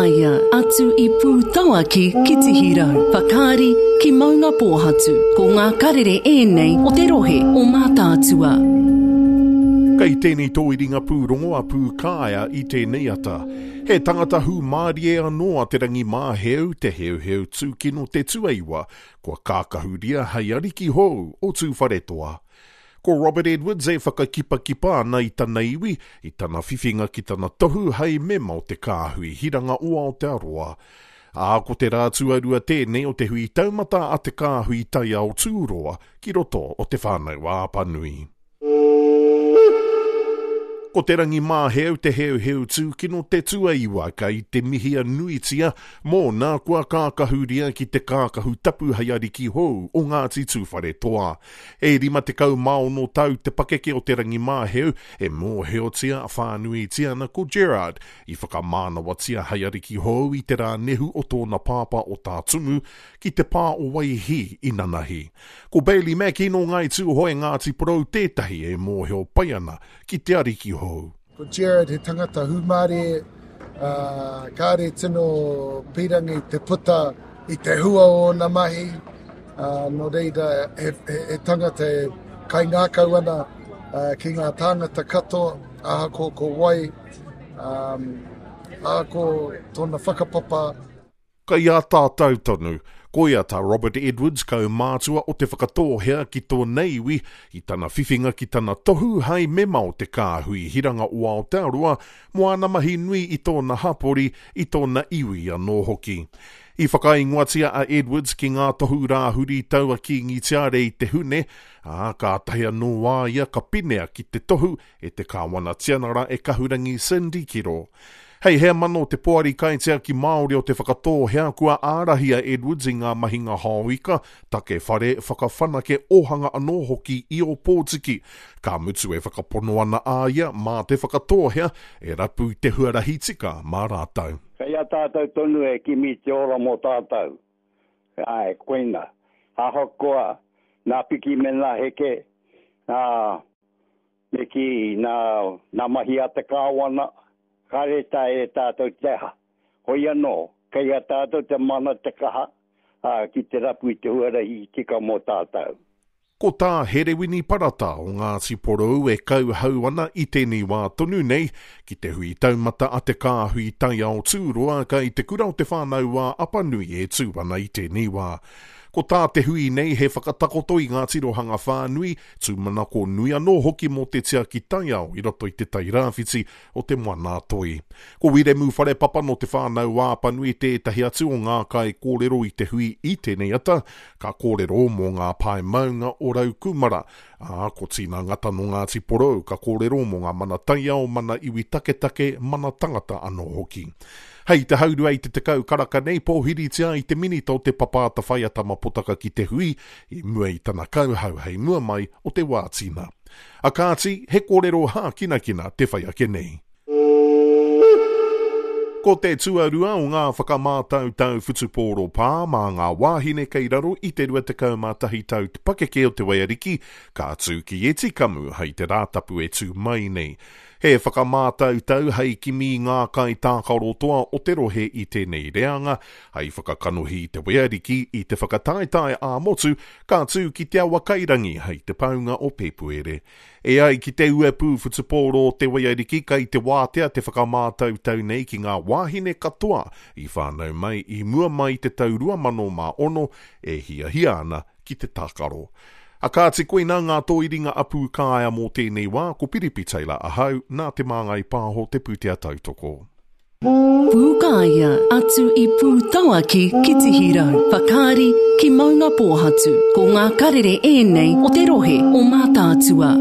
Pūkāea, atu i Pūtauaki ki Tihirau, Whakaari ki Maungapōhatu. Ko ngā karere ēnei o te rohe o Mātaatua. Kei tēnei tōiringa pūrongo a Pūkāea i tēnei ata. He tangata hūmārie anō a Te Rangimāheu, Te Heuheu Tūkino Te Tuaiwa, kua kākahuria hei ariki hou o Tūwharetoa. Ko Robert Edwards e whakakipakipa ana i tana iwi, i tana whiwhinga ki tana tohu hei mema o te Kāhui Hiranga o Aotearoa. Ā, ko te rā tuarua tēnei o te hui taumata a te Kāhui Taiao Tūroa ki roto o Te Whānau-a-Apanui. Ko Te Rangimāheu te heuheu tūkino te tuaiwa kei te mihia nuitia mōna kua kākahuria ki te kākahu tapu hei ariki hou o Ngāti Tūwharetoa. E 56 tau te pakeke o Te Rangimāheu e mōhiotia whānuitia ana ko Gerard i whakamānawatia hei ariki hou i te rā nehu o tōna pāpā o Tā Tumu ki te pā o Waihī i nanahi. Ko Bailey Mackey nō Ngāi Tūhoe Ngāti Porou tētahi e mōhio pai ana ki te ariki hou. Ko Gerard he tangata hūmārie, ā, kāre tino pīrangi te puta i te hua o ōna mahi, ā, nō reira he, he, he tangata e kaingākau ana ki ngā tāngata katoa, ahakoa ko wai, ā, ahakoa tōna whakapapa. Kei a tātou tonu. Koia tā Robert Edwards, kaumātua o Te Whakatōhea ki tōna iwi, i tana whiwhinga ki tana tohu hai mema o te Kāhui Hiranga o Aotearoa mō āna mahi nui i tōna hapori, i tōna iwi anō hoki. I whakaingoatia a Edwards ki ngā tohu rāhuri tau a Kīngi Tiare i te Hune, ā, kātahi anō a ia ka pinea ki te tohu e te Kāwana Tianara e Kahurangi Cindy Kiro. Hei heamana o te Poari Kaitiaki Māori o Te Whakatōhea kua ārahi a Edwards i ngā mahinga hao ika, take whare, whakawhanake ōhanga anō hoki i Ōpōtiki. Ka mutu e whakapono ana a ia mā Te Whakatōhea e rapu i te huarahi tika mā rātou. Kei a tātou tonu e kimi te ora mō tātou. Āe, koina. Ahakoa nā piki me nā heke, nā Me kī, nā, nā mahi a te Kāwana, kāre taea e tātou te aha. Hoi anō, kei a tātou te mana, te kaha, ā, ki te rapu i te huarahi tika mō tātou. Ko tā Herewini Parata o Ngāti Porou e kauhau ana i tēnei wā tonu nei ki te hui taumata a te Kāhui Taiao Tūroa kei Te Kura o Te Whānau-ā-Apanui e tū ana i tēnei wā. Ko tā te hui nei he whakatakoto i ngā tirohanga whānui, Tūmanako nui anō hoki mō te tiaki taiao i roto i te tai rāwhiti o Te Moana-a-Toi. Ko Wiremu Wharepapa nō Te Whānau-ā-Apanui tētahi atu o ngā kaikōrero i te hui i tēnei ata, ka kōrero mō ngā pae maunga o Raukūmara, ā, ko Tina Ngata nō Ngāti Porou ka kōrero mō ngā mana taiao, mana iwi taketake, mana tangata anō hoki. Hei te haurua i te 10 karaka nei, pōhiritia ai te Minita o Te Papa Atawhai a Tama Potaka ki te hui, i mua i tana kauhau hei mua mai o te wā tina. A kāti, he kōrero hākinakina te whai ake nei. Ko te tuarua o ngā whakamātautau whutupōro pā mā ngā wāhine kei raro i te 21 tau te pakeke o Te Waiariki, ka tū ki Etikamu hei te Rātapu e tū mai nei. He whakamātautau hei kimi i ngā kaitākaro toa o te rohe i tēnei reanga, hei whakakanohi i te waiariki i te whakataetae ā-motu ka tū ki Te Awakairangi hei te paunga o Pēpuere. E ai ki te uepū whutupōro o te waiariki kei te wātea te whakamātautau nei ki ngā wāhine katoa i whānau mai i mua mai i te tau 2006 e hiahia ana ki te tākaro. A kāti koinā ngā tōiringa a Pūkāea mō tēnei wā, ko Piripi Taylor ahau, nā Te Māngai Pāho te pūtea tautoko. Pūkāea, atu i Pūtauaki ki Tihirau, Whakaari ki Maungapōhatu, ko ngā karere ēnei o te rohe o Mātaatua.